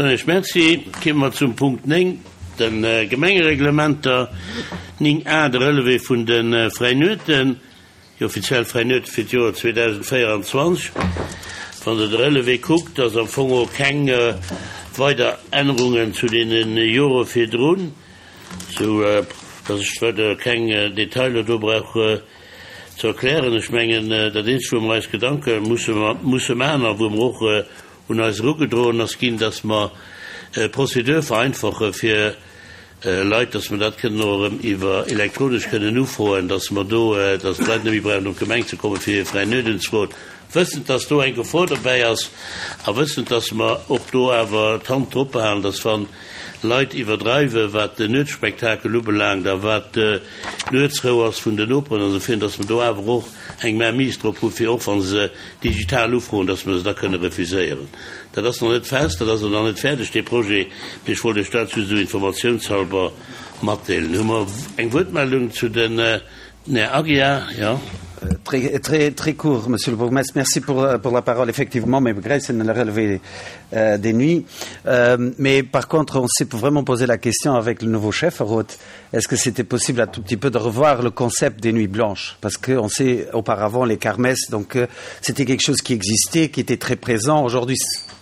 Soen ech Merci. Kimme mer zum Punkt 9, de Gemengereglementer. 9 a, de Relevé vun de Fräinueten, déi offiziell Fräinuete fir d'Joer 2024. Wann Der de Relevé kuckt, ass am Fong och keng weider Ännerungen zu deene Jore virdrun, sou dass ech weider keng Detailer do brauch ze erklären. Ech mengen, dat Eenzegt, wou mer eis Gedanke musse musse maachen a wou mer och un eis erugedroen ass ginn, dass mer d'Prozedur vereinfache fir Leit, dass mer dat kënnen och erëm iwwer elektronesch kënnen ufroen, dass mer do, dass d'Leit net méi brauchen op d'Gemeng ze kommen, fir hir fräi Nuet unzefroen, wëssend, dass do eng Gefor dobäi ass a wëssend, dass mer och do awer d'Hand drop behalen, dass wa Leit iwwerdreiwen, wat den Nuetsspektakel ubelaangt a wat d'Nuetsrou ass vun den Noperen an esou virun, dass mer do awer och eng Mainmise drop hu fir och wa se digital ufroen, dass mer se da kënne refuséieren. Dat ass nach net fest, dat ass och nach net fäerdeg, dee Projet, mee ech wollt Iech dat just esou informatiounshalber matdeelen. Hu mer eng Wuertmeldung zu den, den Här Aguiar, jo. Très, très, très court, Monsieur le Bourgmestre. Merci pour, pour la parole. Effectivement, mes regrets, c'est de la relever euh, des nuits. Euh, mais par contre, on s'est vraiment posé la question avec le nouveau chef, Roth, est-ce que c'était possible un tout petit peu de revoir le concept des nuits blanches Parce qu'on sait auparavant les kermesses, donc euh, c'était quelque chose qui existait, qui était très présent. Aujourd'hui,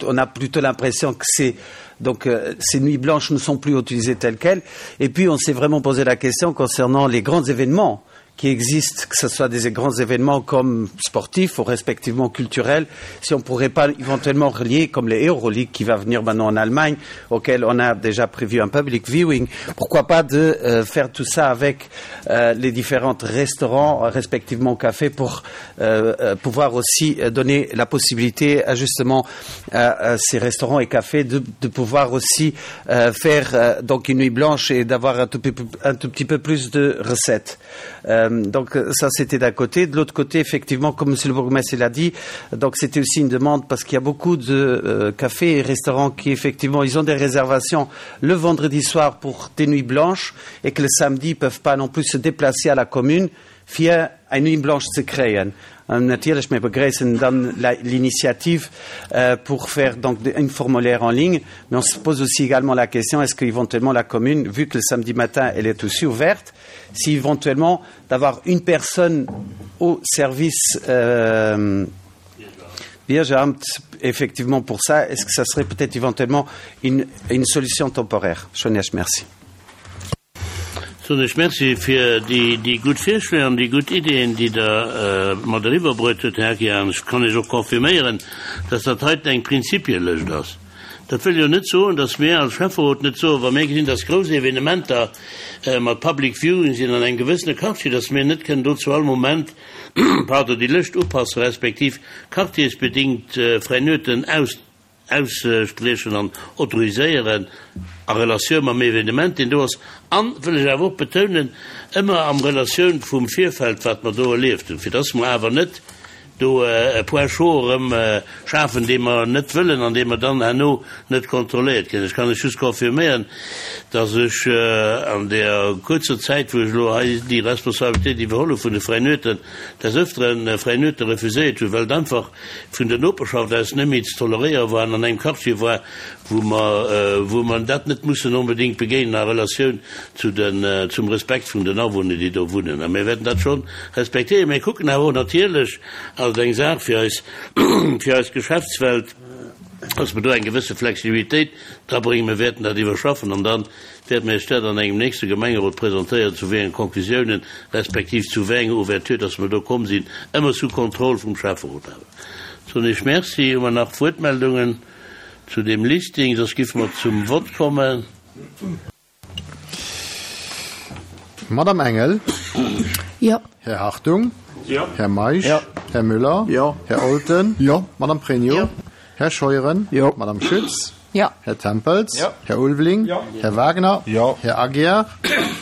on a plutôt l'impression que c'est donc euh, ces nuits blanches ne sont plus utilisées telles quelles. Et puis on s'est vraiment posé la question concernant les grands événements qui existent, que ce soit des grands événements comme sportifs ou respectivement culturels, si on ne pourrait pas éventuellement relier, comme les Euroleague qui va venir maintenant en Allemagne, auquel on a déjà prévu un public viewing, pourquoi pas de euh, faire tout ça avec euh, les différents restaurants, respectivement cafés, pour euh, euh, pouvoir aussi euh, donner la possibilité à justement à, à ces restaurants et cafés de, de pouvoir aussi euh, faire euh, donc une nuit blanche et d'avoir un, tout, un tout petit peu plus de recettes. Euh, donc ça c'était d'un côté. De l'autre côté, effectivement, comme Monsieur le bourgmestre l'a dit, donc c'était aussi une demande parce qu'il y a beaucoup de euh, cafés et restaurants qui effectivement ils ont des réservations le vendredi soir pour des nuits blanches et que le samedi ils peuvent pas non plus se déplacer à la commune fir eng Nuit blanche ze kréien. An natierlech, mir begréissen dann l'initiative euh, pour faire donc une formulaire en ligne, mais on se pose aussi également la question, est-ce qu'éventuellement la commune, vu que le samedi matin elle est aussi ouverte, si éventuellement d'avoir une personne au service euh, Biergeramt effectivement pour ça, est-ce que ça serait peut-être éventuellement une, une solution temporaire Schonech, merci. Soen ech Merci fir déi gutt Virschléi an déi gutt Ideeën, déi Der mat eriwwerbruet hutt, Här Aguiar. An ech kann Iech och confirméieren, dass dat heiten eng Prinzipielëscht ass. Dat wëll jo net soen, dass mir als Schäfferot net soen, wa mir gesinn, dass grouss Evenementer mat Public Viewing sinn an engem gewëssene Quartier, dass mir net kënnen do zu all Moment, pardon, déi Lëscht upassen, respektiv quartiersbedingt fräi Nueten aus. Ausspriechen an autoriséieren a Relatioun mam Evenement, deen do ass, an, wëll ech awer och betounen, ëmmer am Relatioun vum Virfeld, wat mer do erlieft hunn, fir dass mer awer net do e Point chaud erëm schafen, dee mer net wëllen an dee mer dann herno net kontrolléiert kréien. Ech kann lech just confirméieren, dass ech an där kuerzer Zäit, wou ech elo hei déi Responsabilitéit iwwerholl hu vun de Fräien Nueten, des Öfteren fräi Nuete refuséiert hunn, well et einfach vun der Noperschaft aus net méi ze toleréiere war an an engem Quartier war, wou mer, wou mer dat net mussen onbedéngt begéinen a Relatioun zu den, zum Respekt vun den Awunner, déi do wunnen. A mir wäerten dat scho respektéieren. Mir kucken awer och natierlech, ass et eng Saach fir eis, fir eis Geschäftswelt, dass mer do eng gewësse Flexibilitéit drabréngen. Mir wäerten dat iwwerschaffen an dann wäerte mir Iech dat an engem nächste Gemengerot presentéieren, zu wéi enge Conclusiounen, respektiv zu wéi enger Ouverture dass mer do komm sinn, ëmmer sous Contrôle vum Schäfferot awer. Soen Iech Merci. Hu mer nach Wuertmeldungen zu deem Listing? Soss giffe mer zum Vott kommen. Madame Engel. Jo. Här Hartung. Jo. Här Meisch. Jo. Här Müller. Jo. Här Olten. Jo. Madame Pregno. Jo. Här Scheuren. Jo. Madame Schütz. Jo. Här Tempels. Jo. Här Ulveling. Jo. Här Wagner. Jo. Här Aguiar.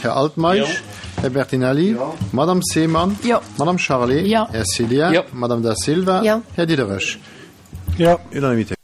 Här Altmeisch. Jo. Här Bertinelli. Jo. Madame Seemann. Jo. Madame Charlé. Jo. Här Cillien. Jo. Madame Da Silva. Jo. Här Diderich. Jo. Unanimité.